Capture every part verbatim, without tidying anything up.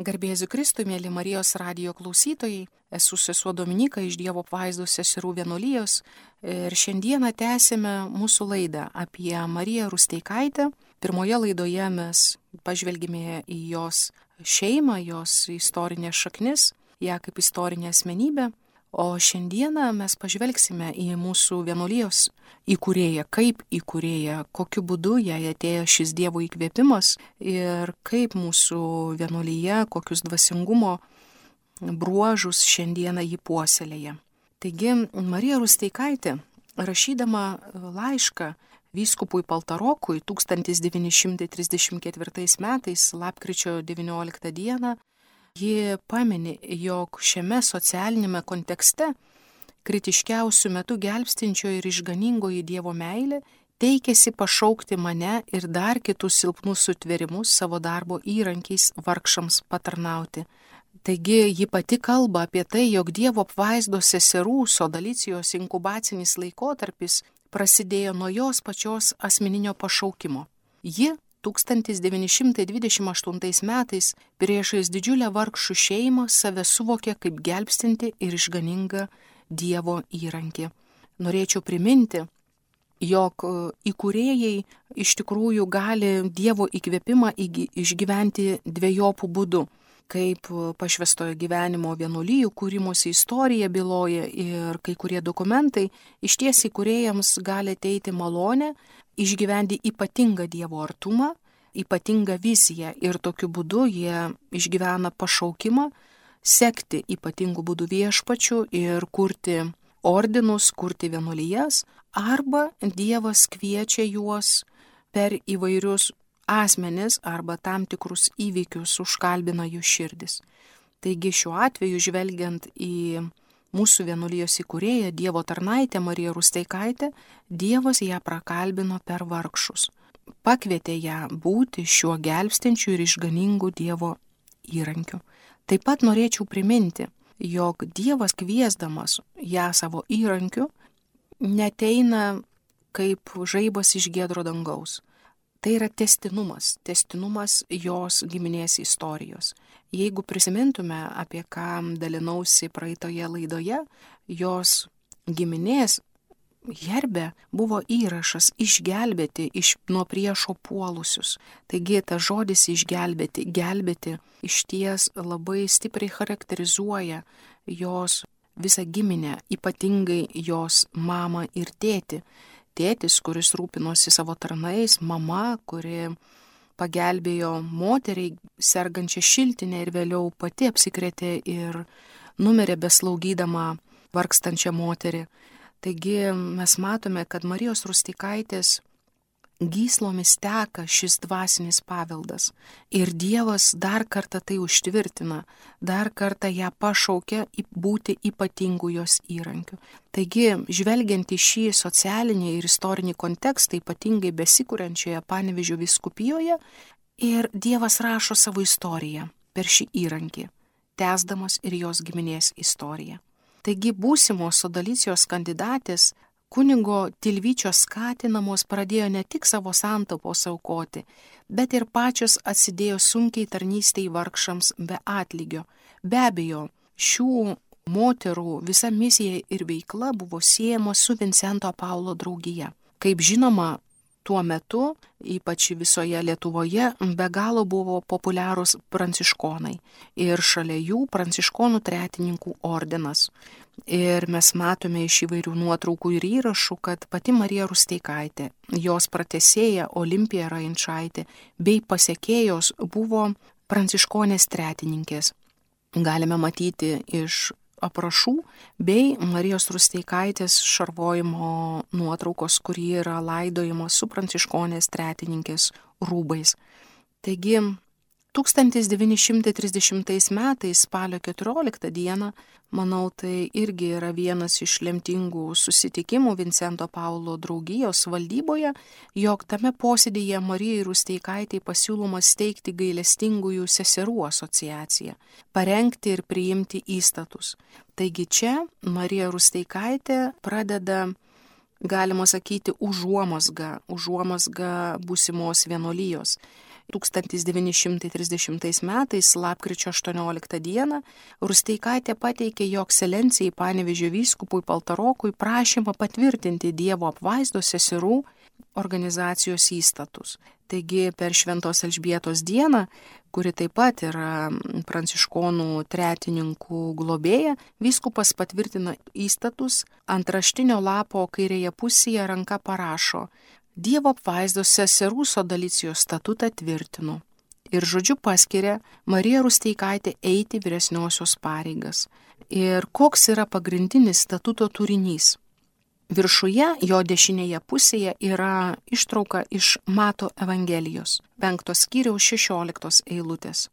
Garbėsiu Kristui, mėly Marijos radijo klausytojai, esu sesuo Dominika iš Dievo apvaizdos seserų vienuolijos ir šiandieną tęsime mūsų laidą apie Mariją Rusteikaitę. Pirmoje laidoje mes pažvelgime į jos šeimą, jos istorinės šaknis, ją kaip istorinę asmenybę, o šiandieną mes pažvelgsime į mūsų vienuolijos įkūrėją, kaip įkūrėją, kokiu būdu jai atėjo šis Dievo įkvėpimas ir kaip mūsų vienuolyje, kokius dvasingumo bruožus šiandieną jį puoselėja. Taigi, Marija Rusteikaitė, rašydama laišką vyskupui Paltarokui tūkstantis devyni šimtai trisdešimt ketvirtais metais, lapkričio devynioliktą dieną, ji pamini, jog šiame socialinėme kontekste kritiškiausių metų gelbstinčio ir išganingoji Dievo meilė teikėsi pašaukti mane ir dar kitus silpnus sutvėrimus savo darbo įrankiais vargšams patarnauti. Taigi ji pati kalba apie tai, jog Dievo apvaizdos seserų sodalicijos inkubacinis laikotarpis prasidėjo nuo jos pačios asmeninio pašaukimo. Ji tūkstantis devyni šimtai dvidešimt aštuntais metais priešais didžiulę vargšų šeimą save suvokė kaip gelbstinti ir išganingą Dievo įrankį. Norėčiau priminti, jog įkūrėjai iš tikrųjų gali Dievo įkvėpimą išgyventi dviejopų būdų, kaip pašvęstojo gyvenimo vienuolijų kūrimosi istorija byloja ir kai kurie dokumentai, išties įkūrėjams gali ateiti malonę išgyventi ypatingą Dievo artumą, ypatingą viziją ir tokiu būdu jie išgyvena pašaukimą sekti ypatingų būdų viešpačių ir kurti ordinus, kurti vienuolijas, arba Dievas kviečia juos per įvairius asmenis arba tam tikrus įvykius užkalbina jų širdis. Taigi šiuo atveju, žvelgiant į mūsų vienuolijos įkūrėją, Dievo tarnaitę Mariją Rusteikaitę, Dievas ją prakalbino per vargšus. Pakvietė ją būti šiuo gelbstinčiu ir išganingu Dievo įrankiu. Taip pat norėčiau priminti, jog Dievas kviesdamas ją savo įrankiu neteina kaip žaibas iš giedro dangaus. Tai yra tęstinumas, tęstinumas jos giminės istorijos. Jeigu prisimintume, apie ką dalinausi praeitoje laidoje, jos giminės herbe buvo įrašas išgelbėti iš nuo priešo puolusius. Taigi tas žodis išgelbėti, gelbėti išties labai stipriai charakterizuoja jos visą giminę, ypatingai jos mamą ir tėtį. Tėtis, kuris rūpinosi savo tarnais, mama, kuri pagelbėjo moteriai sergančią šiltinę ir vėliau pati apsikrėtė ir numirė beslaugydama vargstančią moterį. Taigi mes matome, kad Marijos Rusteikaitės gyslomis teka šis dvasinis paveldas ir Dievas dar kartą tai užtvirtina, dar kartą ją pašaukia būti ypatingų jos įrankiu. Taigi, žvelgiant į šį socialinį ir istorinį kontekstą, ypatingai besikuriančioje Panevėžio vyskupijoje, ir Dievas rašo savo istoriją per šį įrankį, tęsdamas ir jos giminės istoriją. Taigi, būsimos sodalicijos kandidatės kunigo Tilvyčio skatinamos pradėjo ne tik savo santaupos aukoti, bet ir pačios atsidėjo sunkiai tarnystei vargšams be atlygio. Be abejo, šių moterų visa misija ir veikla buvo siejama su Vincento Paulo draugija. Kaip žinoma, tuo metu, ypač visoje Lietuvoje, be galo buvo populiarūs pranciškonai ir šalia jų pranciškonų tretininkų ordinas. Ir mes matome iš įvairių nuotraukų ir įrašų, kad pati Marija Rusteikaitė, jos pratęsėja Olimpija Rainčaitė bei pasekėjos buvo pranciškonės tretininkės. Galime matyti iš aprašų bei Marijos Rusteikaitės šarvojimo nuotraukos, kuri yra laidojama su pranciškonės tretininkės rūbais. Taigi, tūkstantis devyni šimtai trisdešimtais metais spalio keturioliktą dieną, manau, tai irgi yra vienas iš lemtingų susitikimų Vincento Paulo draugijos valdyboje, jog tame posėdėje Marijai Rusteikaitei pasiūloma steigti gailestingųjų seserų asociaciją, parengti ir priimti įstatus. Taigi čia Marija Rusteikaitė pradeda, galima sakyti, užuomazgą, užuomazgą būsimos vienuolijos. tūkstantis devyni šimtai trisdešimtais metais, lapkričio aštuonioliktą dieną, Rusteikaitė pateikė jo ekscelencijai Panevėžio vyskupui Paltarokui prašymą patvirtinti Dievo apvaizdos seserų organizacijos įstatus. Taigi per Šventos Elžbietos dieną, kuri taip pat yra pranciškonų tretininkų globėja, vyskupas patvirtina įstatus, ant raštinio lapo kairėje pusėje ranka parašo: Dievo apvaizdos seserų sodalicijos statutą tvirtinu. Ir žodžiu paskiria Mariją Rusteikaitę eiti vyresniosios pareigas. Ir koks yra pagrindinis statuto turinys? Viršuje, jo dešinėje pusėje, yra ištrauka iš Mato Evangelijos, penktos skyriaus šešioliktos eilutės.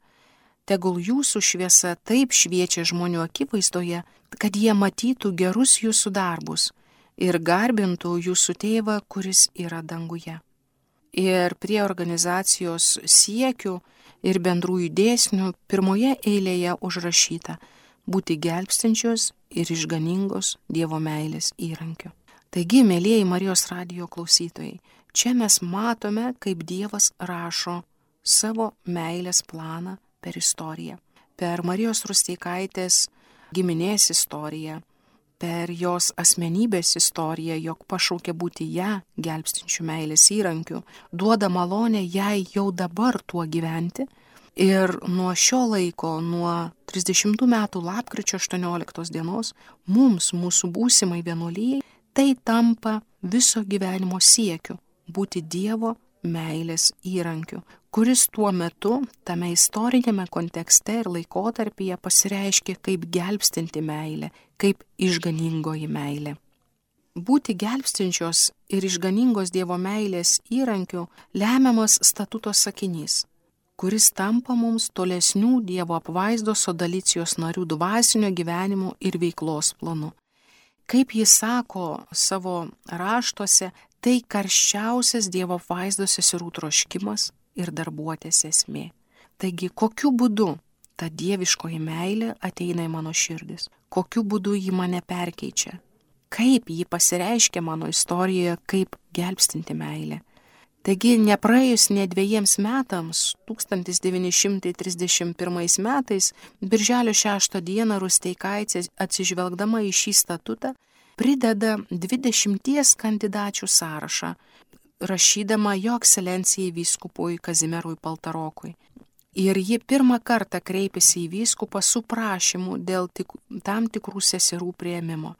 Tegul jūsų šviesa taip šviečia žmonių akivaizdoje, kad jie matytų gerus jūsų darbus ir garbintų jūsų tėvą, kuris yra danguje. Ir prie organizacijos siekių ir bendrųjų dėsnių pirmoje eilėje užrašyta: būti gelbstinčios ir išganingos Dievo meilės įrankiu. Taigi, mėlieji Marijos radijo klausytojai, čia mes matome, kaip Dievas rašo savo meilės planą per istoriją. Per Marijos Rusteikaitės giminės istoriją, per jos asmenybės istoriją, jog pašaukė būti ją gelbstinčių meilės įrankiu, duoda malonę jai jau dabar tuo gyventi. Ir nuo šio laiko, nuo trisdešimtų metų lapkričio aštuonioliktos dienos, mums, mūsų būsimai vienuolijai, tai tampa viso gyvenimo siekiu būti Dievo meilės įrankiu, kuris tuo metu, tame istorinėme kontekste ir laikotarpyje pasireiškė kaip gelbstinti meilė, kaip išganingoji meilė. Būti gelbstinčios ir išganingos Dievo meilės įrankiu lemiamas statuto sakinys, kuris tampa mums tolesnių Dievo apvaizdos sodalicijos narių dvasinio gyvenimo ir veiklos planu. Kaip jis sako savo raštuose, tai karščiausias Dievo apvaizdos seserų troškimas ir darbuotės esmė. Taigi, kokiu būdu ta dieviškoji meilė ateina į mano širdis? Kokiu būdu ji mane perkeičia? Kaip ji pasireiškia mano istorijoje kaip gelbstinti meilė? Taigi, nepraėjus ne dviejiems metams, tūkstantis devyni šimtai trisdešimt pirmais metais, birželio šeštą dieną Rusteikaitė, atsižvelgdama į šį statutą, prideda dvidešimties kandidačių sąrašą, rašydama jo ekscelencijai vyskupui Kazimierui Paltarokui. Ir ji pirmą kartą kreipėsi į vyskupą su prašymu dėl tik, tam tikrų seserų priėmimo.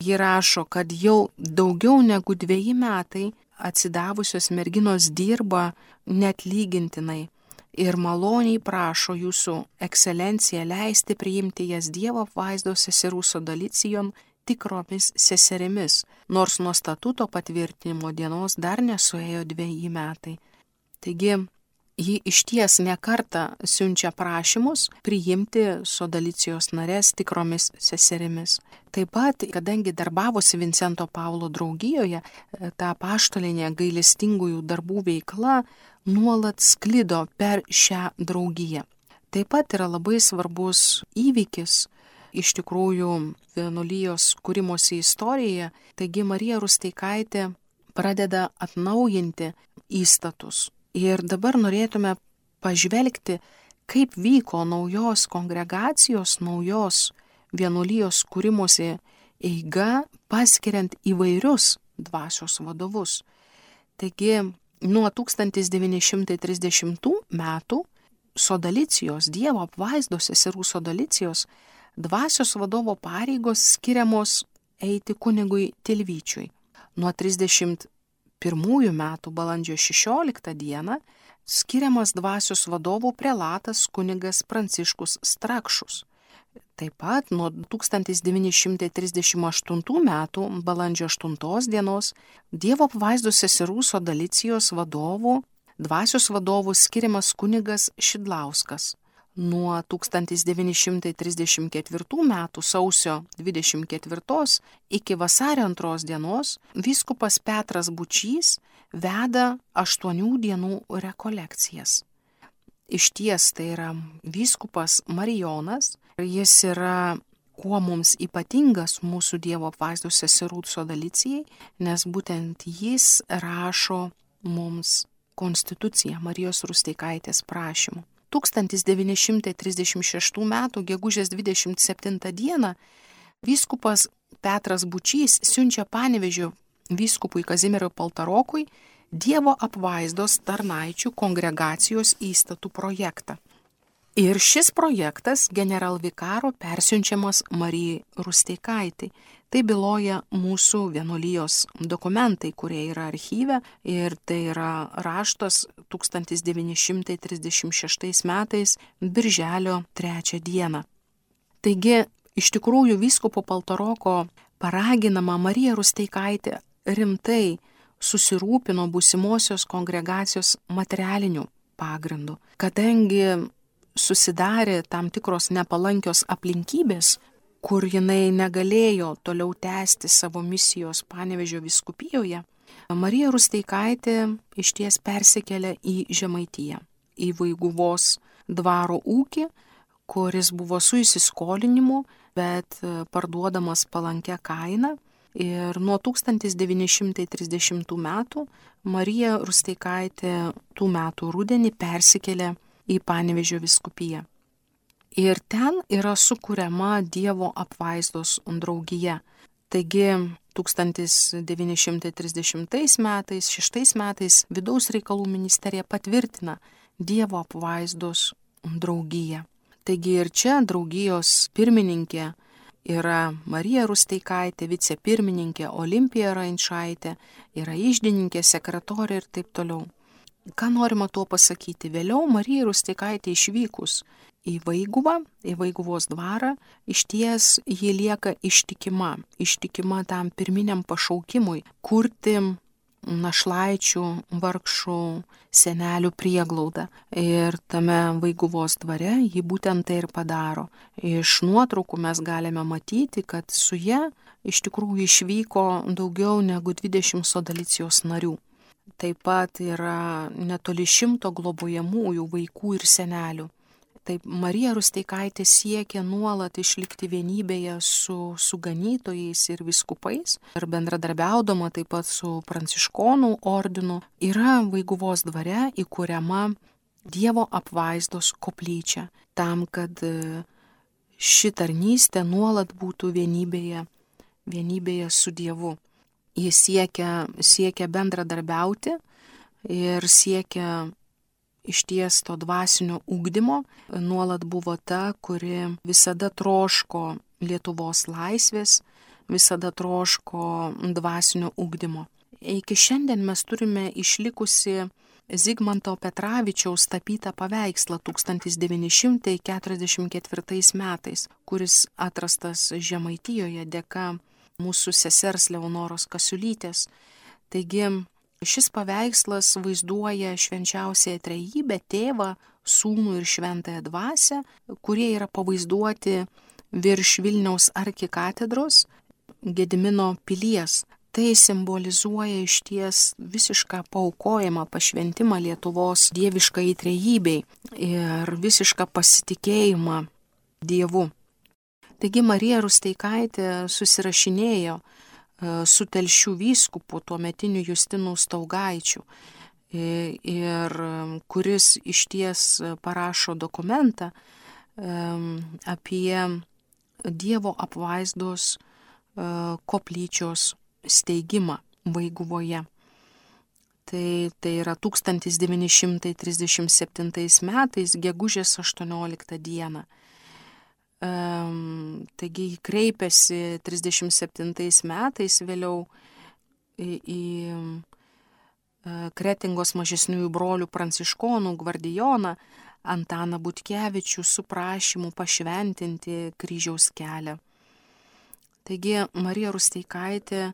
Ji rašo, kad jau daugiau negu dveji metai atsidavusios merginos dirba neatlygintinai ir maloniai prašo jūsų ekscelenciją leisti priimti jas Dievo apvaizdos seserų sodalicijon tikromis seserimis, nors nuo statuto patvirtinimo dienos dar nesuėjo dveji metai. Taigi, ji išties nekartą siunčia prašymus priimti sodalicijos narės tikromis seserimis. Taip pat, kadangi darbavosi Vincento Paulo draugijoje, ta apaštalinė gailestingųjų darbų veikla nuolat sklido per šią draugiją. Taip pat yra labai svarbus įvykis iš tikrųjų vienuolijos kūrimosi istorijoje. Taigi Marija Rusteikaitė pradeda atnaujinti įstatus. Ir dabar norėtume pažvelgti, kaip vyko naujos kongregacijos, naujos vienuolijos kūrimosi eiga, paskiriant įvairius dvasios vadovus. Taigi, nuo tūkstantis devyni šimtai trisdešimtų metų sodalicijos, Dievo apvaizdos seserų sodalicijos, dvasios vadovo pareigos skiriamos eiti kunigui Tilvyčiui. Nuo trisdešimt pirmųjų metų balandžio šešioliktą dieną skiriamas dvasios vadovų prelatas kunigas Pranciškus Strakšus. Taip pat nuo tūkstantis devyni šimtai trisdešimt aštuntų metų balandžio aštuntos dienos Dievo apvaizdos seserų sodalicijos vadovų, dvasios vadovų skiriamas kunigas Šidlauskas. Nuo tūkstantis devyni šimtai trisdešimt ketvirtų metų sausio dvidešimt ketvirtos iki vasario antros dienos vyskupas Petras Bučys veda aštuonių dienų rekolekcijas. Išties tai yra vyskupas Marijonas, jis yra kuo mums ypatingas mūsų Dievo apvaizdos seserų sodalicijai, nes būtent jis rašo mums konstitucija Marijos Rusteikaitės prašymu. tūkstantis devyni šimtai trisdešimt šeštų metų gegužės dvidešimt septintą dieną vyskupas Petras Bučys siunčia Panevėžio vyskupui Kazimierui Paltarokui Dievo apvaizdos tarnaičių kongregacijos įstatų projektą. Ir šis projektas generalvikaro persiunčiamas Marijai Rusteikaitai. Tai byloja mūsų vienuolijos dokumentai, kurie yra archyve, ir tai yra raštas tūkstantis devyni šimtai trisdešimt šeštais metais birželio trečią dieną. Taigi, iš tikrųjų, vyskupo Paltaroko paraginama Marija Rusteikaitė rimtai susirūpino būsimosios kongregacijos materialiniu pagrindu, kadangi susidarė tam tikros nepalankios aplinkybės, kur jinai negalėjo toliau tęsti savo misijos Panevėžio vyskupijoje, Marija Rusteikaitė išties persikėlė į Žemaitiją, į Vaiguvos dvaro ūkį, kuris buvo su įsiskolinimu, bet parduodamas palankia kaina. Ir nuo tūkstantis devyni šimtai trisdešimtų metų Marija Rusteikaitė tų metų rudenį persikėlė į Panevėžio vyskupiją. Ir ten yra sukuriama Dievo apvaizdos draugija. Taigi tūkstantis devyni šimtai trisdešimtais metais, šeštais metais vidaus reikalų ministerija patvirtina Dievo apvaizdos draugiją. Taigi ir čia draugijos pirmininkė yra Marija Rusteikaitė, vicepirmininkė Olimpija Rainčaitė, yra iždininkė, sekretorė ir taip toliau. Ką norima tuo pasakyti? Vėliau Marija Rusteikaitė išvykus į Vaiguvą, į Vaiguvos dvarą, išties ji lieka ištikima, ištikima tam pirminiam pašaukimui kurti našlaičių, vargšų, senelių prieglaudą. Ir tame Vaiguvos dvare ji būtent tai ir padaro. Iš nuotraukų mes galime matyti, kad su ja iš tikrųjų išvyko daugiau negu dvidešimt sodalicijos narių. Taip pat yra netoli šimto globojamųjų vaikų ir senelių. Taip Marija Rusteikaitė siekia nuolat išlikti vienybėje su, su ganytojais ir vyskupais ir bendradarbiaudama taip pat su pranciškonų ordinu yra Vaiguvos dvare įkuriama Dievo apvaizdos koplyčia, tam, kad ši tarnystė nuolat būtų vienybėje, vienybėje su Dievu. Jis siekia, siekia bendradarbiauti ir siekia išties to dvasinio ugdymo, nuolat buvo ta, kuri visada troško Lietuvos laisvės, visada troško dvasinio ugdymo. Iki šiandien mes turime išlikusi Zigmanto Petravičiaus tapytą paveikslą tūkstantis devyni šimtai keturiasdešimt ketvirtais metais, kuris atrastas Žemaitijoje dėka mūsų sesers Leonoros Kasiulytės. Taigi, šis paveikslas vaizduoja švenčiausiąją trejybę, tėvą, sūnų ir šventąją dvasią, kurie yra pavaizduoti virš Vilniaus arkikatedros Gedimino pilies. Tai simbolizuoja išties visišką paaukojimą, pašventimą Lietuvos dieviškai trejybei ir visišką pasitikėjimą Dievu. Taigi Marija Rusteikaitė susirašinėjo su Telšių vyskupu, tuometiniu Justinu Staugaičiu, ir kuris išties parašo dokumentą apie Dievo apvaizdos koplyčios steigimą Vaiguvoje. Tai, tai yra tūkstantis devyni šimtai trisdešimt septintais metais, gegužės aštuonioliktą dieną. Um, taigi kreipėsi trisdešimt septintais metais vėliau į, į uh, Kretingos mažesniųjų brolių pranciškonų gvardijoną Antaną Butkevičių su prašymu pašventinti kryžiaus kelią. Taigi Marija Rusteikaitė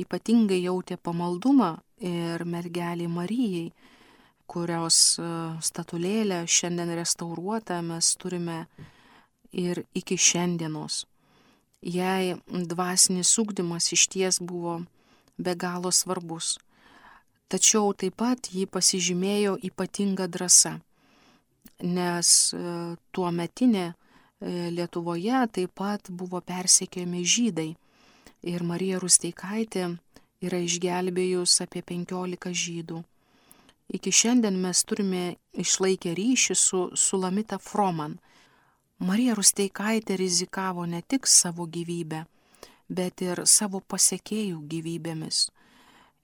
ypatingai jautė pamaldumą ir mergelei Marijai, kurios uh, statulėlę šiandien restauruotą mes turime ir iki šiandienos. Jai dvasinis ugdymas išties buvo be galo svarbus. Tačiau taip pat ji pasižymėjo ypatingą drąsą, nes tuometinė Lietuvoje taip pat buvo persekiojami žydai ir Marija Rusteikaitė yra išgelbėjus apie penkiolika žydų. iki šiandien mes turime išlaikę ryšį su Sulamita Froman. Marija Rusteikaitė rizikavo ne tik savo gyvybę, bet ir savo pasekėjų gyvybėmis.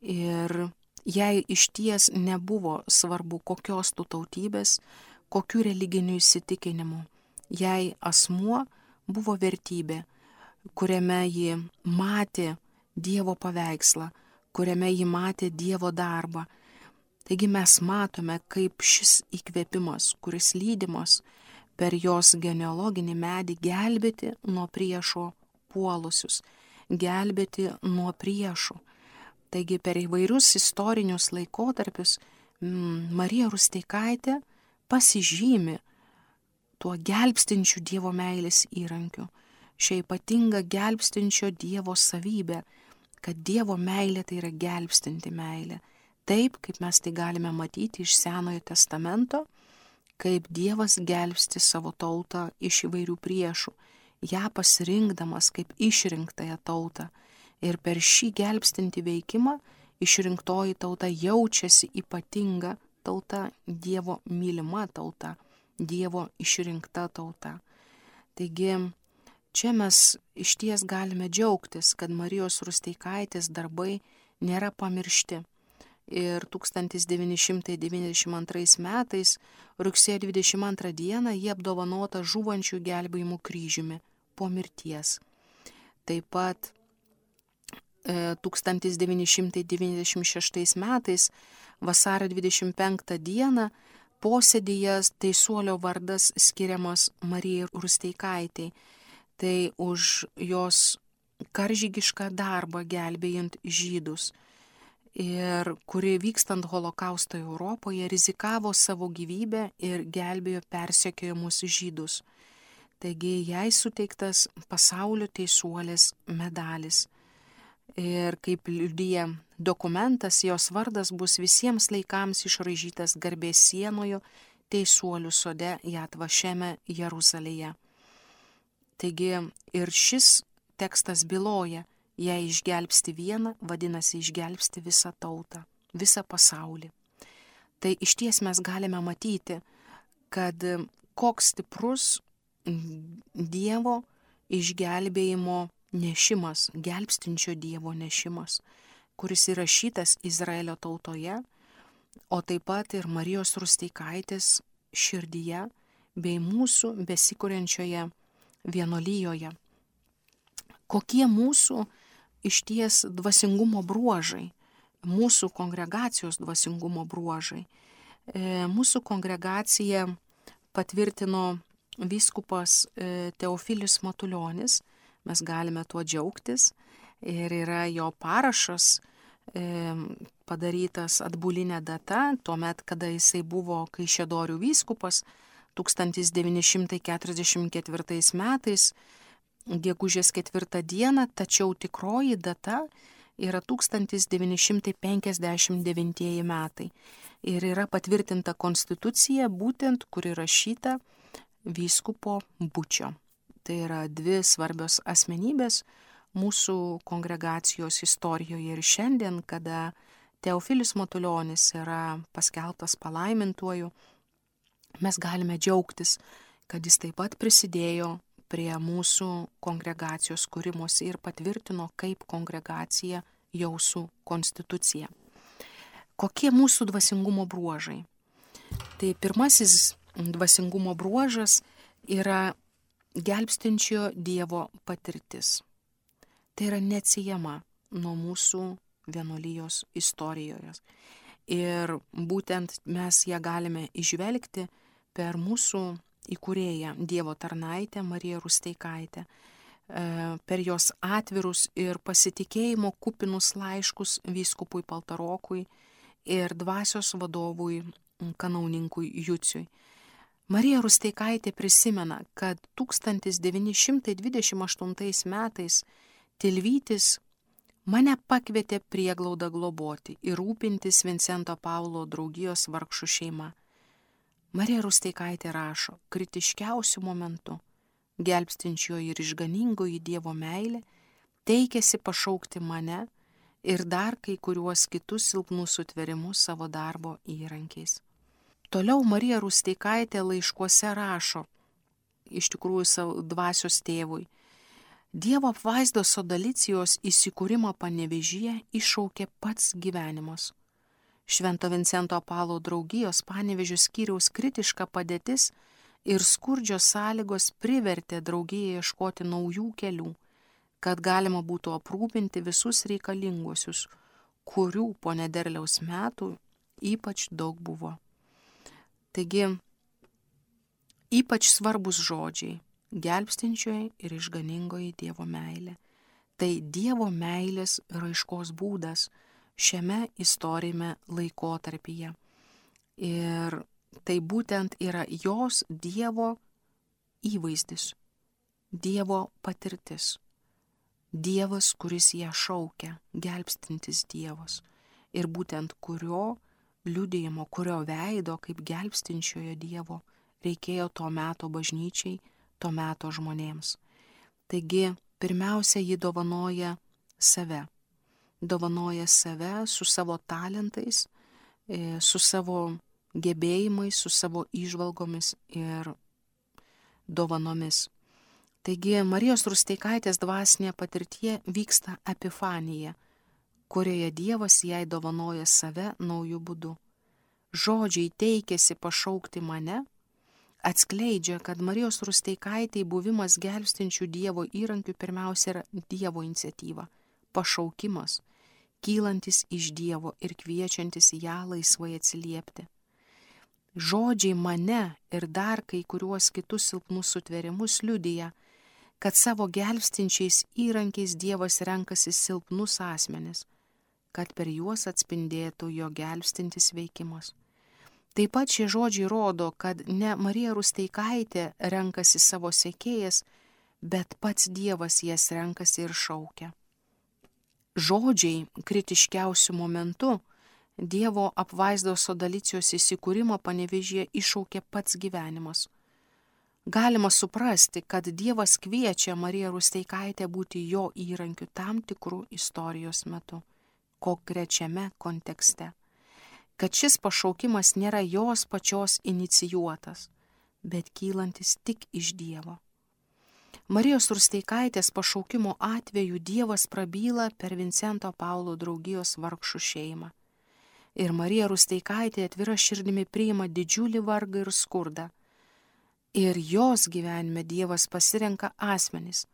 Ir jai išties nebuvo svarbu, kokios tu tautybės, kokių religinių įsitikinimų. Jai asmuo buvo vertybė, kuriame ji matė Dievo paveikslą, kuriame ji matė Dievo darbą. Taigi mes matome, kaip šis įkvėpimas, kuris lydimas per jos genealoginį medį gelbėti nuo priešo puolusius, gelbėti nuo priešų. Taigi per įvairius istorinius laikotarpius Marija Rusteikaitė pasižymi tuo gelbstinčiu Dievo meilės įrankiu, šia ypatinga gelbstinčio Dievo savybė, kad Dievo meilė tai yra gelbstinti meilė. Taip, kaip mes tai galime matyti iš Senojo testamento, kaip Dievas gelbsti savo tautą iš įvairių priešų, ją pasirinkdamas kaip išrinktąją tautą. Ir per šį gelbstinti veikimą išrinktoji tauta jaučiasi ypatinga tauta, Dievo mylima tauta, Dievo išrinkta tauta. Taigi, čia mes išties galime džiaugtis, kad Marijos Rusteikaitės darbai nėra pamiršti. Ir tūkstantis devyni šimtai devyniasdešimt antrais metais, rugsėjo dvidešimt antrą dieną, jie apdovanota žūvančių gelbėjimų kryžiumi po mirties. Taip pat e, tūkstantis devyni šimtai devyniasdešimt šeštais metais, vasario dvidešimt penktą dieną, posėdyje teisuolio vardas skiriamas Marijai Rusteikaitei. Tai už jos karžygišką darbą gelbėjant žydus. Ir kuri vykstant holokausto Europoje rizikavo savo gyvybę ir gelbėjo persekiojamus žydus. Taigi jai suteiktas pasaulio teisuolės medalis. Ir kaip liudija dokumentas, jos vardas bus visiems laikams išraižytas garbės sienoje teisuolių sode Jad Vašeme Jeruzalėje. Taigi ir šis tekstas byloja, jei išgelbsti vieną, vadinasi išgelbsti visą tautą, visą pasaulį. Tai išties mes galime matyti, kad koks stiprus Dievo išgelbėjimo nešimas, gelbstinčio Dievo nešimas, kuris įrašytas Izraelio tautoje, o taip pat ir Marijos Rusteikaitės širdyje bei mūsų besikuriančioje vienuolijoje. Kokie mūsų išties dvasingumo bruožai, mūsų kongregacijos dvasingumo bruožai. E, mūsų kongregacija patvirtino vyskupas e, Teofilis Matulionis, mes galime tuo džiaugtis, ir yra jo parašas e, padarytas atbulinė data, tuomet, kada jisai buvo Kaišiadorių vyskupas, tūkstantis devyni šimtai keturiasdešimt ketvirtais metais, gegužės ketvirtą dieną, tačiau tikroji data yra tūkstantis devyni šimtai penkiasdešimt devintieji metai. Ir yra patvirtinta konstitucija, būtent kur įrašyta vyskupo Bučio. Tai yra dvi svarbios asmenybės mūsų kongregacijos istorijoje ir šiandien, kada Teofilis Matulionis yra paskelbtas palaimintuoju, mes galime džiaugtis, kad jis taip pat prisidėjo prie mūsų kongregacijos kūrimosi ir patvirtino kaip kongregacija Jausų konstituciją. Kokie mūsų dvasingumo bruožai? Tai pirmasis dvasingumo bruožas yra gelbstinčio Dievo patirtis. Tai yra neatsiejama nuo mūsų vienuolijos istorijoje. Ir būtent mes ją galime įžvelgti per mūsų įkūrėją Dievo tarnaitę Mariją Rusteikaitę, per jos atvirus ir pasitikėjimo kupinus laiškus vyskupui Paltarokui ir dvasios vadovui kanauninkui Juciui. Marija Rusteikaitė prisimena, kad tūkstantis devyni šimtai dvidešimt aštuntais metais Tilvytis mane pakvietė prieglaudą globoti ir rūpintis Vincento Paulo draugijos vargšų šeima. Marija Rusteikaitė rašo, kritiškiausių momentų, gelbstinčioji ir išganingoji Dievo meilė teikėsi pašaukti mane ir dar kai kuriuos kitus silpnus sutverimus savo darbo įrankiais. Toliau Marija Rusteikaitė laiškuose rašo, iš tikrųjų savo dvasios tėvui, Dievo apvaizdos Sodalicijos įsikūrimą Panevėžyje iššaukė pats gyvenimas. Švento Vincento Paulo draugijos Panevėžio skyriaus kritiška padėtis ir skurdžios sąlygos privertė draugiją ieškoti naujų kelių, kad galima būtų aprūpinti visus reikalinguosius, kurių po nederliaus metų ypač daug buvo. Taigi, ypač svarbus žodžiai - gelbstinčioji ir išganingoji Dievo meilė. Tai Dievo meilės raiškos būdas šiame istorijame laikotarpyje. Ir tai būtent yra jos Dievo įvaizdis, Dievo patirtis. Dievas, kuris ją šaukia, gelbstintis Dievas. Ir būtent kurio liudijimo, kurio veido kaip gelbstinčiojo Dievo reikėjo to meto bažnyčiai, to meto žmonėms. Taigi, pirmiausia, ji dovanoja save. Dovanoja save su savo talentais, su savo gebėjimais, su savo įžvalgomis ir dovanomis. Taigi, Marijos Rusteikaitės dvasinė patirtie vyksta epifanija, kurioje Dievas jai dovanoja save naujų būdų. Žodžiai teikėsi pašaukti mane, atskleidžia, kad Marijos Rusteikaitei buvimas gelbstinčių Dievo įrankių pirmiausia yra Dievo iniciatyva, pašaukimas, kylantis iš Dievo ir kviečiantis ją laisvai atsiliepti. Žodžiai mane ir dar kai kuriuos kitus silpnus sutverimus liudija, kad savo gelbstinčiais įrankiais Dievas renkasi silpnus asmenis, kad per juos atspindėtų jo gelbstintis veikimas. Taip pat šie žodžiai rodo, kad ne Marija Rusteikaitė renkasi savo sekėjas, bet pats Dievas jas renkasi ir šaukia. Žodžiai kritiškiausių momentų Dievo apvaizdos Sodalicijos įsikūrimą Panevėžyje iššaukė pats gyvenimas. Galima suprasti, kad Dievas kviečia Mariją Rusteikaitę būti jo įrankiu tam tikrų istorijos metu, konkrečiame kontekste. Kad šis pašaukimas nėra jos pačios inicijuotas, bet kylantis tik iš Dievo. Marijos Rusteikaitės pašaukimo atveju Dievas prabyla per Vincento Paulo draugijos vargšų šeimą. Ir Marija Rusteikaitė atvira širdimi priima didžiulį vargą ir skurdą. Ir jos gyvenime Dievas pasirenka asmenis,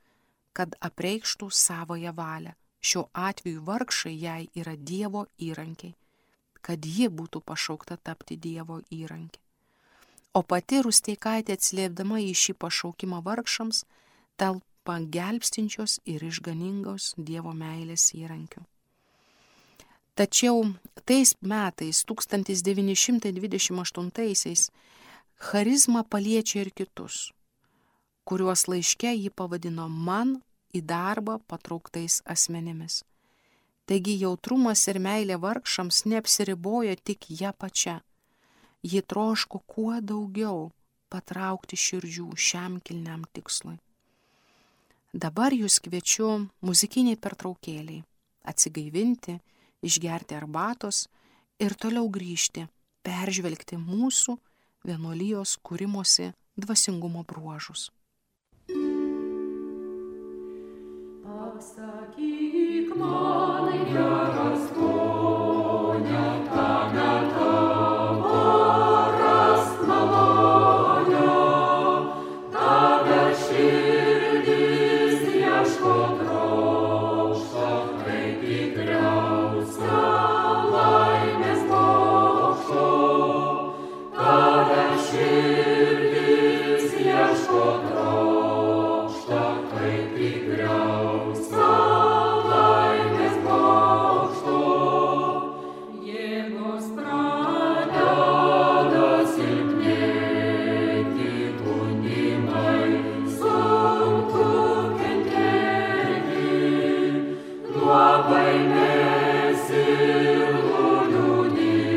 kad apreikštų savoją valią. Šiuo atveju vargšai jai yra Dievo įrankiai, kad ji būtų pašaukta tapti Dievo įrankį. O pati Rusteikaitė atsiliepdama į šį pašaukimą vargšams, talpa gelbstinčios ir išganingos Dievo meilės įrankių. Tačiau tais metais, tūkstantis devyni šimtai dvidešimt aštuntaisiais, charizma paliečia ir kitus, kuriuos laiške ji pavadino man į darbą patrauktais asmenimis. Taigi jautrumas ir meilė vargšams neapsiribojo tik ją pačią. Ji troško kuo daugiau patraukti širdžių šiam kilniam tikslui. Dabar jūs kviečiu muzikiniai pertraukėliai, atsigaivinti, išgerti arbatos ir toliau grįžti, peržvelgti mūsų vienuolijos kūrimosi dvasingumo bruožus. Pasakyk man, geras ponia, tame tavo rast malonę, tave širdis ieško trokšta, kaip tikriausia laimės bokšto, tave širdis ieško trokšta, kaip tikriausia laimės bokšto. Jėgos pradeda silpnėti, gunimai sunku kentėti, nuo baimės ir nuliūdimo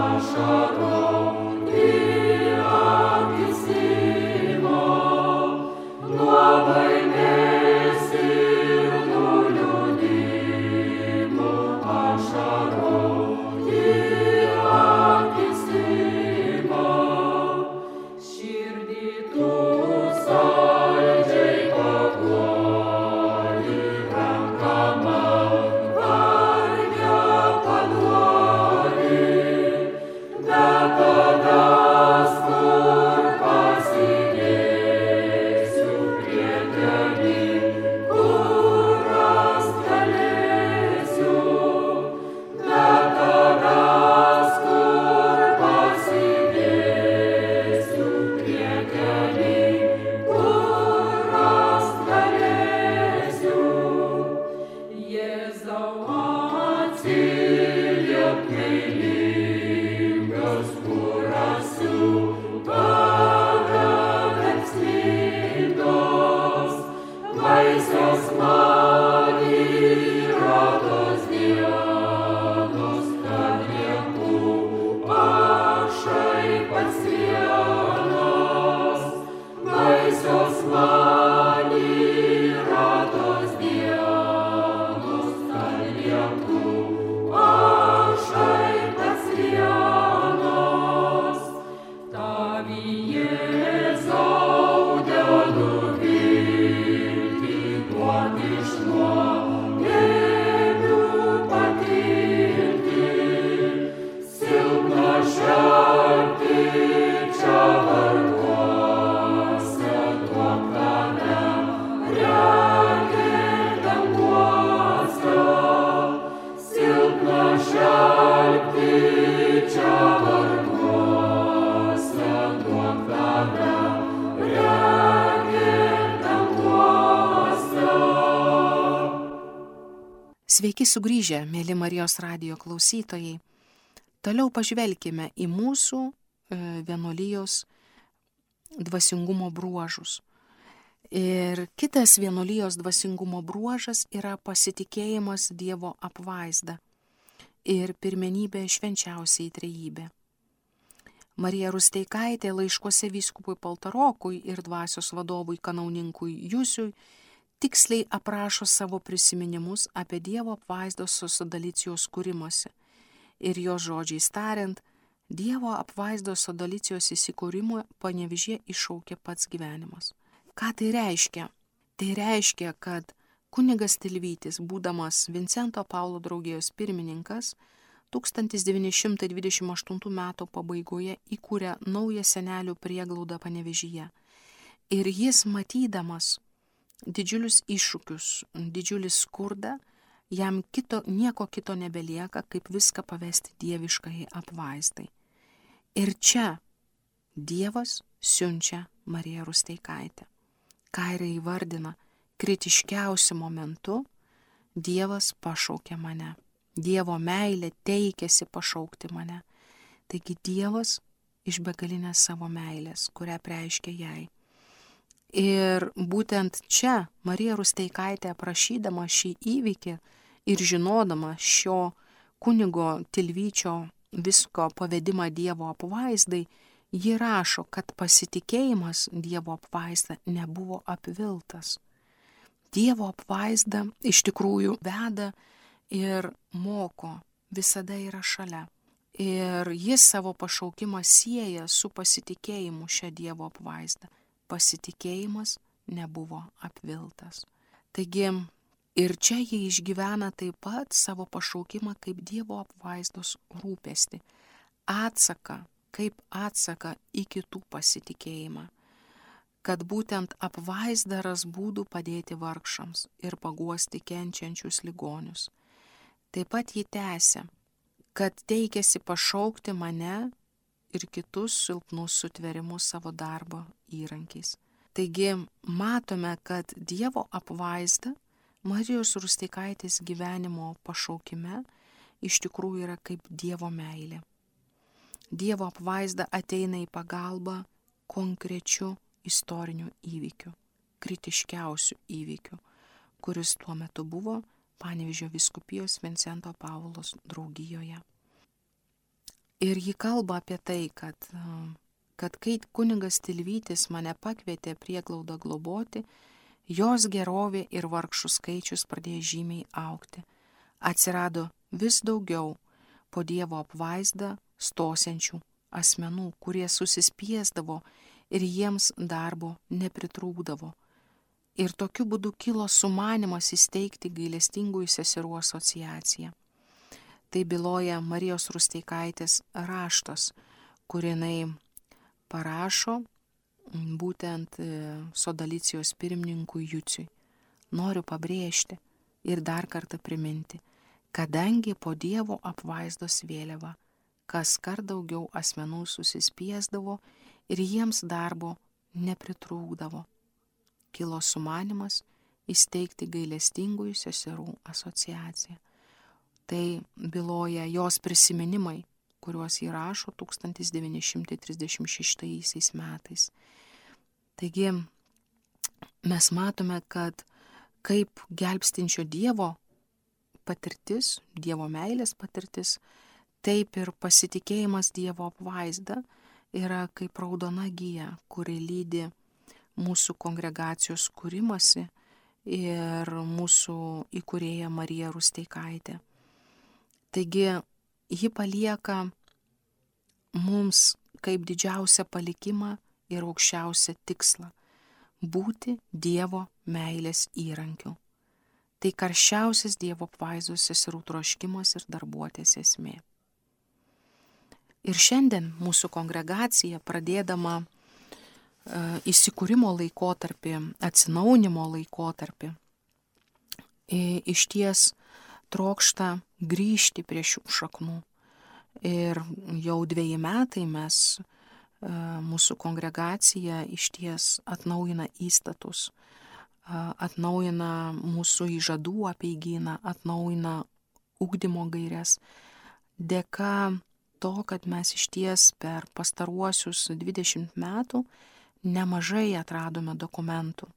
ašarų į akis Sveiki sugrįžę, mėly Marijos radijo klausytojai. Toliau pažvelkime į mūsų vienuolijos dvasingumo bruožus. Ir kitas vienuolijos dvasingumo bruožas yra pasitikėjimas Dievo apvaizda ir pirmenybė švenčiausiai trejybė. Marija Rusteikaitė laiškuose vyskupui Paltarokui ir dvasios vadovui kanauninkui Jusiui tiksliai aprašo savo prisiminimus apie Dievo apvaizdos sodalicijos kūrimąsi. Ir jo žodžiais tariant, Dievo apvaizdos sodalicijos įsikūrimo Panevėžyje iššaukė pats gyvenimas. Ką tai reiškia? Tai reiškia, kad kunigas Tilvytis, būdamas Vincento Paulo draugijos pirmininkas, tūkstantis devyni šimtai dvidešimt aštuntų metų pabaigoje įkūrė naują senelių prieglaudą Panevėžyje. Ir jis matydamas didžiulius iššūkius, didžiulį skurdą, jam kito, nieko kito nebelieka, kaip viską pavesti dieviškai apvaizdai. Ir čia Dievas siunčia Mariją Rusteikaitę. Ką ir įvardina kritiškiausiu momentu, Dievas pašaukė mane. Dievo meilė teikėsi pašaukti mane. Taigi Dievas iš begalinės savo meilės, kurią preiškia jai. Ir būtent čia Marija Rusteikaitė, aprašydama šį įvykį ir žinodama šio kunigo Tilvyčio visko pavedimą Dievo apvaizdai, ji rašo, kad pasitikėjimas Dievo apvaizda nebuvo apviltas. Dievo apvaizda iš tikrųjų veda ir moko, visada yra šalia. Ir jis savo pašaukimą sieja su pasitikėjimu šią Dievo apvaizdą. Pasitikėjimas nebuvo apviltas. Taigi ir čia jie išgyvena taip pat savo pašaukimą kaip Dievo apvaizdos rūpestį, atsaką, kaip atsaką į kitų pasitikėjimą, kad būtent apvaizda ras būdų padėti vargšams ir paguosti kenčiančius ligonius. Taip pat ji tęsia, kad teikėsi pašaukti mane ir kitus silpnus sutverimus savo darbo įrankiais. Taigi matome, kad Dievo apvaizda Marijos Rusteikaitės gyvenimo pašaukime iš tikrųjų yra kaip Dievo meilė. Dievo apvaizda ateina į pagalbą konkrečiu istoriniu įvykiu, kritiškiausiu įvykiu, kuris tuo metu buvo Panevėžio vyskupijos Vincento Paulo draugijoje. Ir ji kalba apie tai, kad, kad kai kunigas Tilvytis mane pakvietė prieglaudą globoti, jos gerovė ir vargšų skaičius pradėjo žymiai augti. Atsirado vis daugiau po Dievo apvaizdą stosiančių asmenų, kurie susispiesdavo ir jiems darbo nepritrūkdavo. Ir tokiu būdu kilo sumanymas įsteigti gailestingųjų seserų asociaciją. Tai byloja Marijos Rusteikaitės raštas, kur jinai parašo būtent sodalicijos pirmininkui Juciui. Noriu pabrėžti ir dar kartą priminti, kadangi po Dievo apvaizdos vėliava kas kart daugiau asmenų susispiesdavo ir jiems darbo nepritrūkdavo, kilo sumanymas įsteigti gailestingųjų seserų asociaciją. Tai byloja jos prisiminimai, kuriuos įrašo tūkstantis devyni šimtai trisdešimt šeštaisiais metais. Taigi mes matome, kad kaip gelbstinčio Dievo patirtis, Dievo meilės patirtis, taip ir pasitikėjimas Dievo apvaizda yra kaip raudona gija, kuri lydi mūsų kongregacijos kūrimasi ir mūsų įkūrėja Marija Rusteikaitė. Taigi ji palieka mums kaip didžiausią palikimą ir aukščiausią tikslą – būti Dievo meilės įrankiu. Tai karščiausias Dievo apvaizdos seserų troškimas ir darbuotės esmė. Ir šiandien mūsų kongregacija, pradėdama e, įsikūrimo laikotarpį, atsinaujinimo laikotarpį, e, iš ties trokšta grįžti prie šių šaknų. Ir jau dveji metai mes, e, mūsų kongregacija iš ties atnaujina įstatus, atnaujina mūsų įžadų apeigyną, atnaujina ugdymo gaires. Dėka to, kad mes išties per pastaruosius dvidešimt metų nemažai atradome dokumentų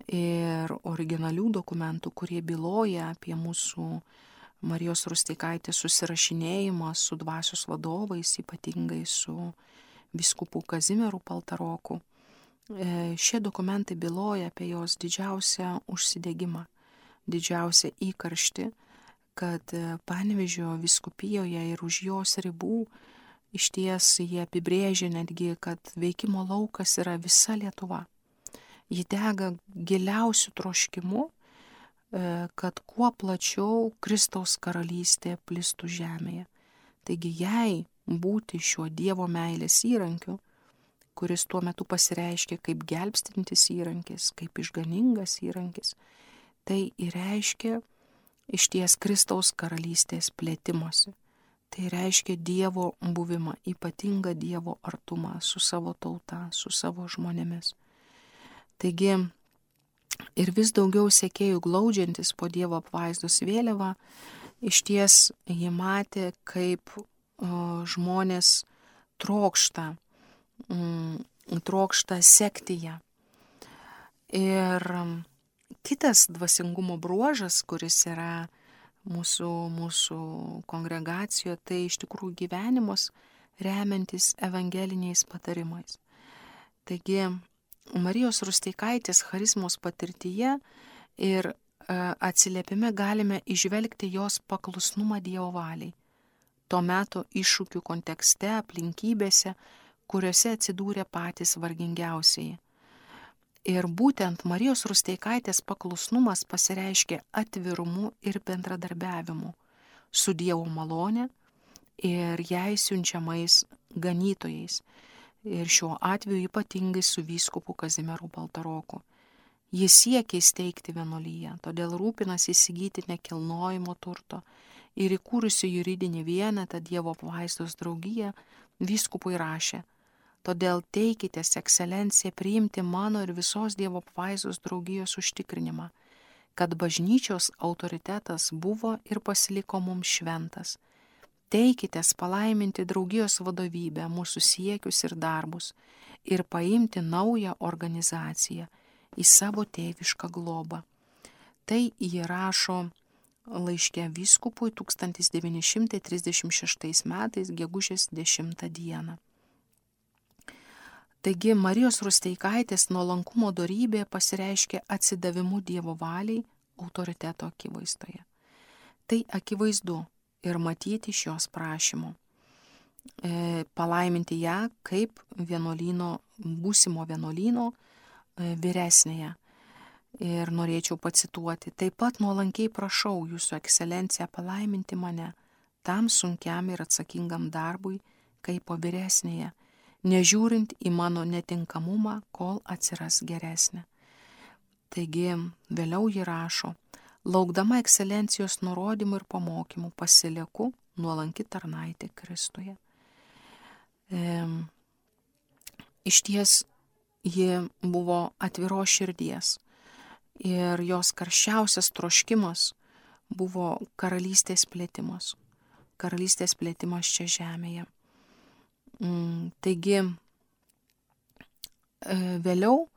ir originalių dokumentų, kurie byloja apie mūsų Marijos Rusteikaitės susirašinėjimą su dvasios vadovais, ypatingai su vyskupu Kazimieru Paltaroku. Šie dokumentai byloja apie jos didžiausią užsidegimą, didžiausią įkarštį, kad Panevėžio vyskupijoje ir už jos ribų išties jie apibrėžia netgi, kad veikimo laukas yra visa Lietuva. Ji dega giliausių troškimų, kad kuo plačiau Kristaus karalystė plistų žemėje. Taigi jai būti šiuo Dievo meilės įrankiu, kuris tuo metu pasireiškia kaip gelbstintis įrankis, kaip išganingas įrankis, tai reiškia išties Kristaus karalystės plėtimosi. Tai reiškia Dievo buvimą, ypatingą Dievo artumą su savo tauta, su savo žmonėmis. Taigi ir vis daugiau sekėjų glaudžiantis po Dievo apvaizdos vėliavą, išties jie matė, kaip o, žmonės trokšta, mm, trokšta sekti ją. Ir kitas dvasingumo bruožas, kuris yra mūsų, mūsų kongregacijoje, tai iš tikrųjų gyvenimas remiantis evangeliniais patarimais. Taigi Marijos Rusteikaitės charizmos patirtyje ir e, atsiliepime galime išvelgti jos paklusnumą Dievo valiai. Tuo metu iššūkių kontekste, aplinkybėse, kuriuose atsidūrė patys vargingiausieji. Ir būtent Marijos Rusteikaitės paklusnumas pasireiškia atvirumu ir bendradarbiavimu su Dievo malone ir jai siunčiamais ganytojais. Ir šiuo atveju ypatingai su vyskupu Kazimieru Paltaroku. Jis siekia įsteigti vienuolyją, todėl rūpinasi įsigyti nekilnojamo turto ir įkūrusi juridinį vienetą Dievo apvaizdos draugiją vyskupui rašė: todėl teikitės, ekscelencija, priimti mano ir visos Dievo apvaizdos draugijos užtikrinimą, kad bažnyčios autoritetas buvo ir pasiliko mums šventas. Teikitės palaiminti draugijos vadovybę, mūsų siekius ir darbus ir paimti naują organizaciją į savo tėvišką globą. Tai jie rašo laiške vyskupui tūkstantis devyni šimtai trisdešimt šeštais metais gegužės dešimtą dieną. Taigi Marijos Rusteikaitės nuolankumo dorybė pasireiškia atsidavimu Dievo valiai autoriteto akivaizdoje. Tai akivaizdu ir matyti iš jos prašymų. E, palaiminti ją kaip vienuolyno, būsimo vienuolyno e, vyresnėje. Ir norėčiau pacituoti: taip pat nuolankiai prašau jūsų ekscelenciją palaiminti mane tam sunkiam ir atsakingam darbui kaip po vyresnėje, nežiūrint į mano netinkamumą, kol atsiras geresnė. Taigi vėliau ji rašo: laukdama ekscelencijos nurodymų ir pamokymų pasilieku nuolanki tarnaitė Kristuje. E, iš ties ji buvo atviros širdies ir jos karščiausias troškimas buvo karalystės plėtimas. Karalystės plėtimas čia žemėje. Mm, taigi e, vėliau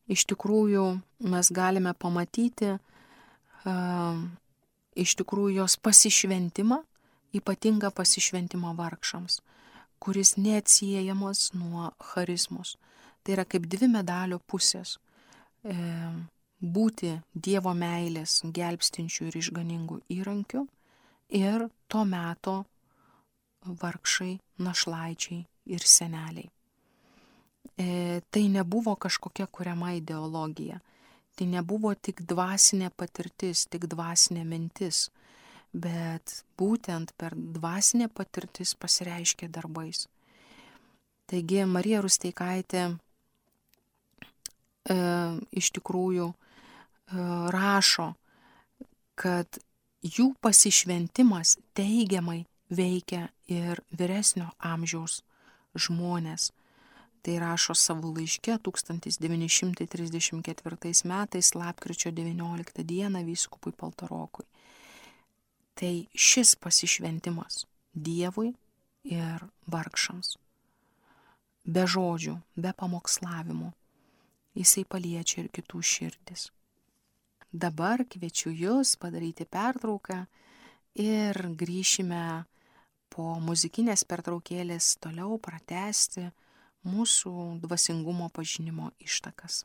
iš tikrųjų mes galime pamatyti Uh, iš tikrųjų jos pasišventimą, ypatingą pasišventimą vargšams, kuris neatsiejamas nuo charizmos. Tai yra kaip dvi medalio pusės. E, būti Dievo meilės gelbstinčių ir išganingų įrankių ir to meto vargšai, našlaičiai ir seneliai. E, tai nebuvo kažkokia kuriama ideologija. Tai nebuvo tik dvasinė patirtis, tik dvasinė mintis, bet būtent per dvasinę patirtis pasireiškia darbais. Taigi Marija Rusteikaitė e, iš tikrųjų e, rašo, kad jų pasišventimas teigiamai veikia ir vyresnio amžiaus žmonės. Tai rašo savo laiške tūkstantis devyni šimtai trisdešimt ketvirtais metais lapkričio devynioliktą dieną vyskupui Paltarokui. Tai šis pasišventimas Dievui ir vargšams. Be žodžių, be pamokslavimų. Jisai paliečia ir kitų širdis. Dabar kviečiu Jus padaryti pertrauką ir grįšime po muzikinės pertraukėlės toliau pratęsti mūsų dvasingumo pažinimo ištakas.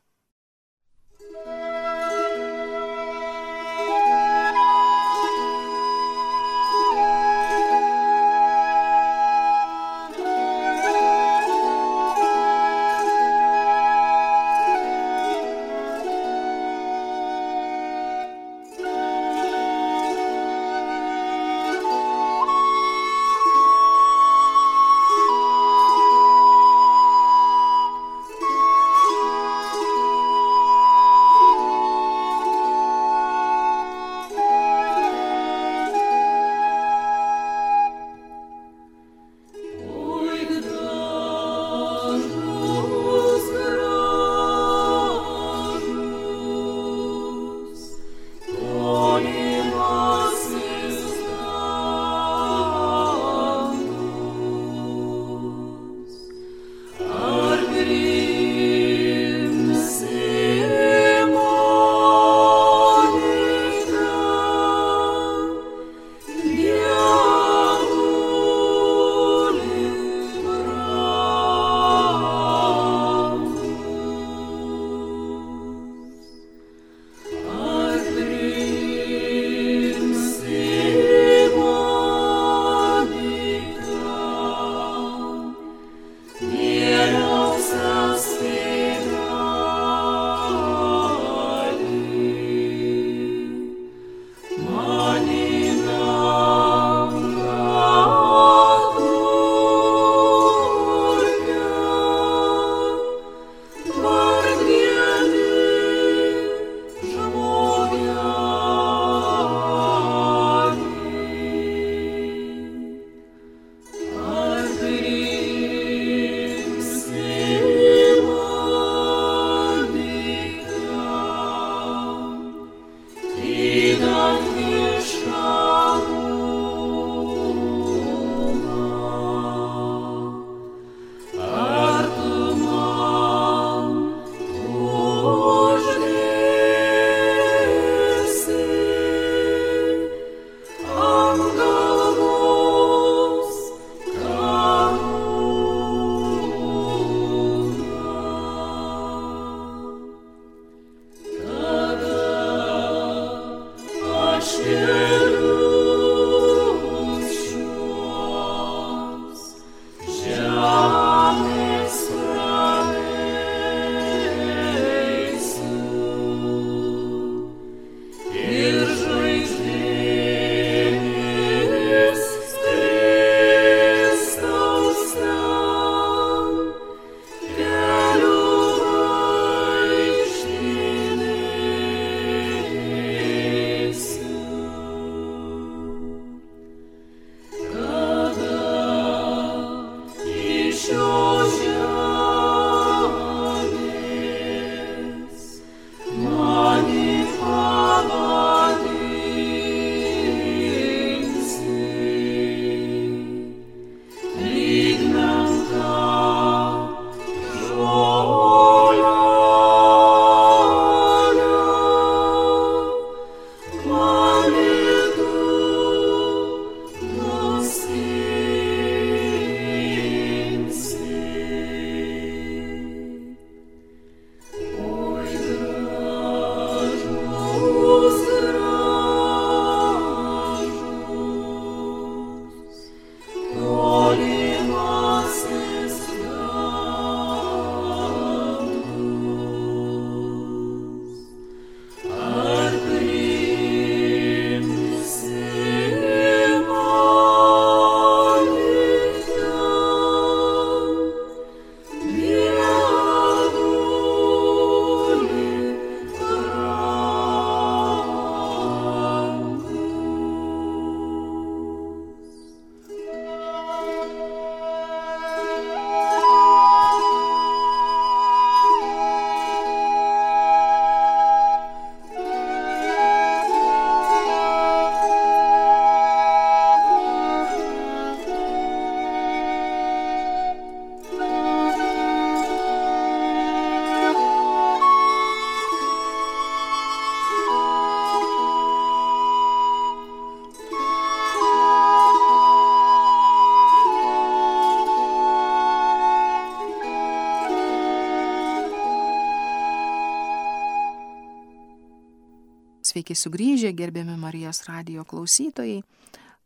Sveiki sugrįžę, gerbiami Marijos radijo klausytojai.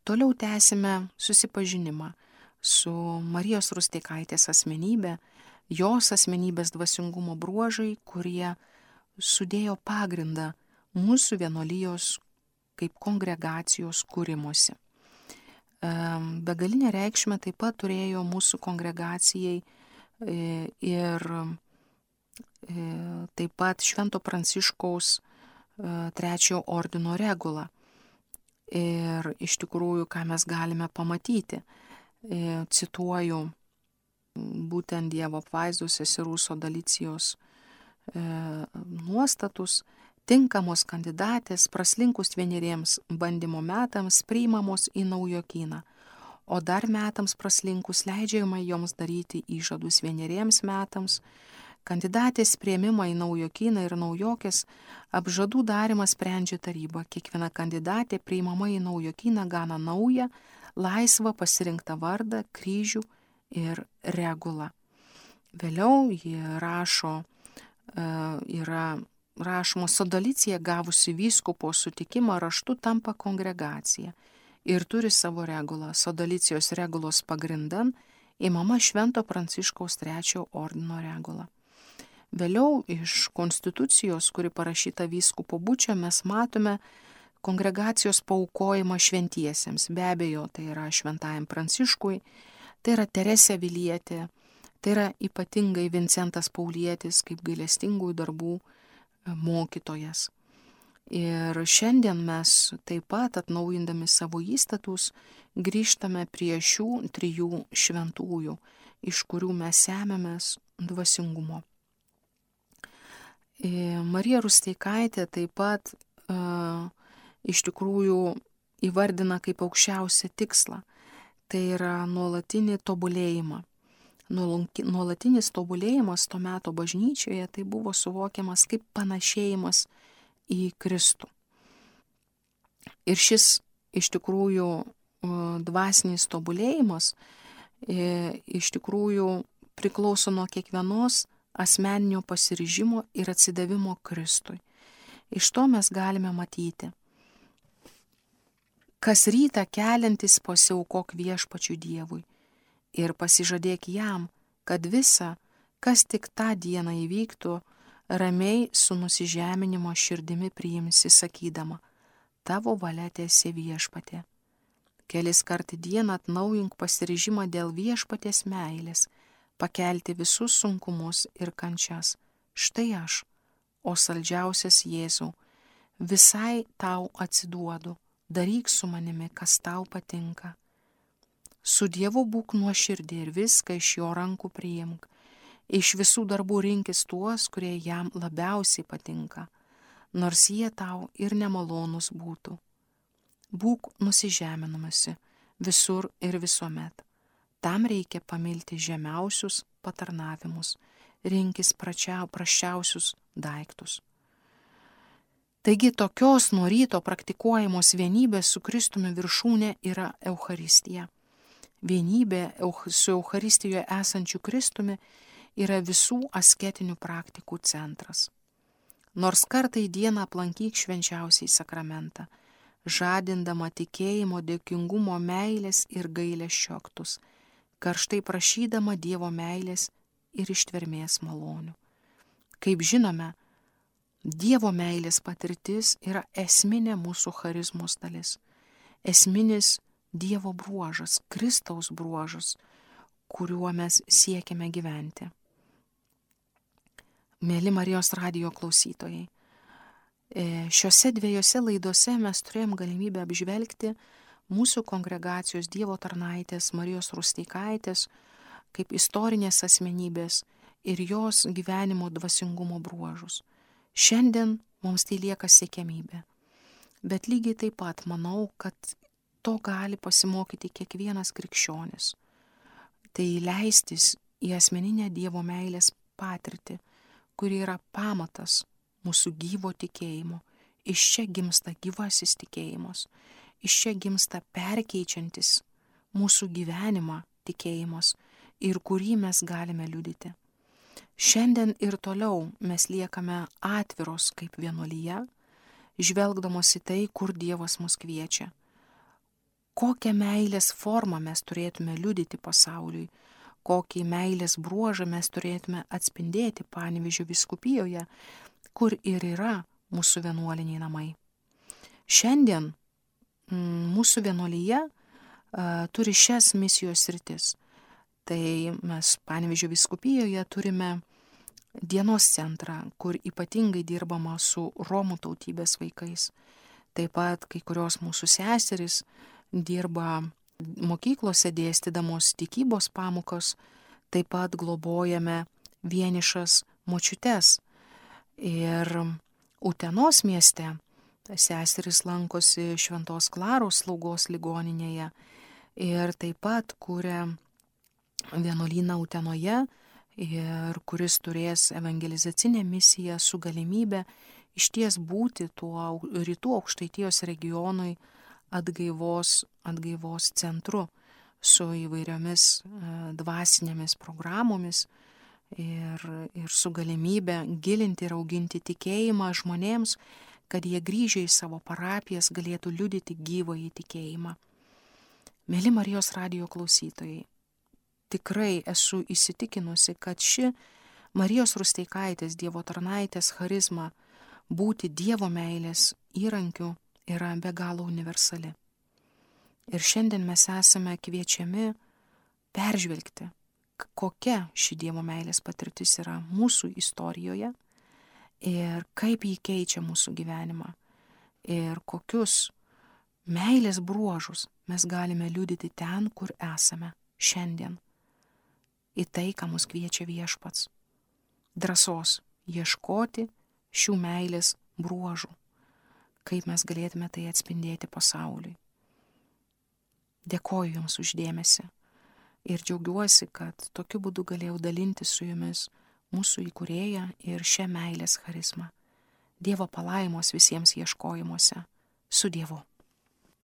Toliau tęsime susipažinimą su Marijos Rusteikaitės asmenybė, jos asmenybės dvasingumo bruožai, kurie sudėjo pagrindą mūsų vienuolijos kaip kongregacijos kūrimuose. Begalinę reikšmę taip pat turėjo mūsų kongregacijai ir taip pat Švento Pranciškaus trečiojo ordino regula. Ir iš tikrųjų, ką mes galime pamatyti, cituoju būtent Dievo apvaizdos seserų Sodalicijos nuostatus: tinkamos kandidatės praslinkus vieneriems bandymo metams priimamos į naujokyną, o dar metams praslinkus leidžiama joms daryti įžadus vieneriems metams. Kandidatės priėmimą į naujokyną ir naujokės apžadų darimą sprendžia taryba. Kiekviena kandidatė priimama į naujokyną gana naują, laisvą pasirinktą vardą, kryžių ir regulą. Vėliau ji rašo, yra rašoma: Sodalicija gavusi vyskupo sutikimą raštu tampa kongregacija ir turi savo regulą. Sodalicijos regulos pagrindan imama Švento Pranciškaus trečiojo ordino regula. Vėliau iš konstitucijos, kuri parašyta vyskupo Bučio, mes matome kongregacijos paaukojimą šventiesiems. Be abejo, tai yra Šventajam Pranciškui, tai yra Teresė Avilietė, tai yra ypatingai Vincentas Paulietis kaip gailestingųjų darbų mokytojas. Ir šiandien mes taip pat, atnaujindami savo įstatus, grįžtame prie šių trijų šventųjų, iš kurių mes semiamės dvasingumo. Marija Rusteikaitė taip pat uh, iš tikrųjų įvardina kaip aukščiausią tikslą. Tai yra nuolatinį tobulėjimą. Nuolatinis tobulėjimas to meto bažnyčioje tai buvo suvokiamas kaip panašėjimas į Kristų. Ir šis iš tikrųjų uh, dvasinis tobulėjimas e, iš tikrųjų priklauso nuo kiekvienos asmeninio pasiryžimo ir atsidavimo Kristui. Iš to mes galime matyti: kas rytą keliantis pasiaukok viešpačiui Dievui ir pasižadėk jam, kad visa, kas tik tą dieną įvyktų, ramiai su nusižeminimo širdimi priimsi, sakydama: tavo valia teesie viešpatie. Kelis kart į dieną atnaujink pasiryžimą dėl viešpaties meilės, pakelti visus sunkumus ir kančias. Štai aš, o saldžiausias Jėzau, visai tau atsiduodu, daryk su manimi, kas tau patinka. Su Dievu būk nuoširdį ir viską iš jo rankų priimk. Iš visų darbų rinkis tuos, kurie jam labiausiai patinka, nors jie tau ir nemalonus būtų. Būk nusižeminamasi visur ir visuomet. Tam reikia pamilti žemiausius patarnavimus, rinkis pračiau, praščiausius daiktus. Taigi tokios nuo ryto praktikuojamos vienybės su Kristumi viršūnė yra Eucharistija. Vienybė su Eucharistijoje esančiu Kristumi yra visų asketinių praktikų centras. Nors kartą į dieną aplankyk švenčiausiai sakramentą, žadindama tikėjimo, dėkingumo, meilės ir gailesčio aktus, karštai prašydama Dievo meilės ir ištvermės malonių. Kaip žinome, Dievo meilės patirtis yra esminė mūsų charizmos dalis, esminis Dievo bruožas, Kristaus bruožas, kuriuo mes siekiame gyventi. Mėly Marijos radijo klausytojai, šiuose dviejose laidose mes turėjom galimybę apžvelgti mūsų kongregacijos Dievo tarnaitės Marijos Rusteikaitės kaip istorinės asmenybės ir jos gyvenimo dvasingumo bruožus. Šiandien mums tai lieka siekiamybė, bet lygiai taip pat manau, kad to gali pasimokyti kiekvienas krikščionis. Tai leistis į asmeninę Dievo meilės patirtį, kuri yra pamatas mūsų gyvo tikėjimo. Iš čia gimsta gyvasis tikėjimas. Iš čia gimsta perkeičiantis mūsų gyvenimą tikėjimas ir kurį mes galime liudyti. Šiandien ir toliau mes liekame atviros kaip vienuolija, žvelgdamos į tai, kur Dievas mus kviečia. Kokią meilės formą mes turėtume liudyti pasauliui, kokį meilės bruožą mes turėtume atspindėti Panevėžio vyskupijoje, kur ir yra mūsų vienuoliniai namai. Šiandien m, mūsų vienuolyje a, turi šias misijos sritis. Tai mes Panevėžio vyskupijoje turime dienos centrą, kur ypatingai dirbama su Romų tautybės vaikais. Taip pat kai kurios mūsų seserys dirba mokyklose dėstydamos tikybos pamokos, taip pat globojame vienišas močiutes. Ir Utenos mieste seserys lankosi Šventos Klaros slaugos ligoninėje ir taip pat kuria vienuolyną Utenoje, ir kuris turės evangelizacinę misiją su galimybė išties būti tuo rytų Aukštaitijos regionui atgaivos, atgaivos centru su įvairiomis dvasinėmis programomis ir, ir su galimybė gilinti ir auginti tikėjimą žmonėms, kad jie grįžę į savo parapijas galėtų liudyti gyvąjį tikėjimą. Mėly Marijos radijo klausytojai, tikrai esu įsitikinusi, kad ši Marijos Rusteikaitės Dievo tarnaitės charizma būti Dievo meilės įrankiu yra be galo universali. Ir šiandien mes esame kviečiami peržvelgti, kokia ši Dievo meilės patirtis yra mūsų istorijoje ir kaip jį keičia mūsų gyvenimą ir kokius meilės bruožus mes galime liudyti ten, kur esame šiandien. Į tai, ką mus kviečia Viešpats. Drąsos ieškoti šių meilės bruožų, kaip mes galėtume tai atspindėti pasauliui. Dėkoju Jums už dėmesį ir džiaugiuosi, kad tokiu būdu galėjau dalinti su Jumis mūsų įkūrėją ir šią meilės charizmą. Dievo palaimos visiems ieškojimuose. Su Dievu.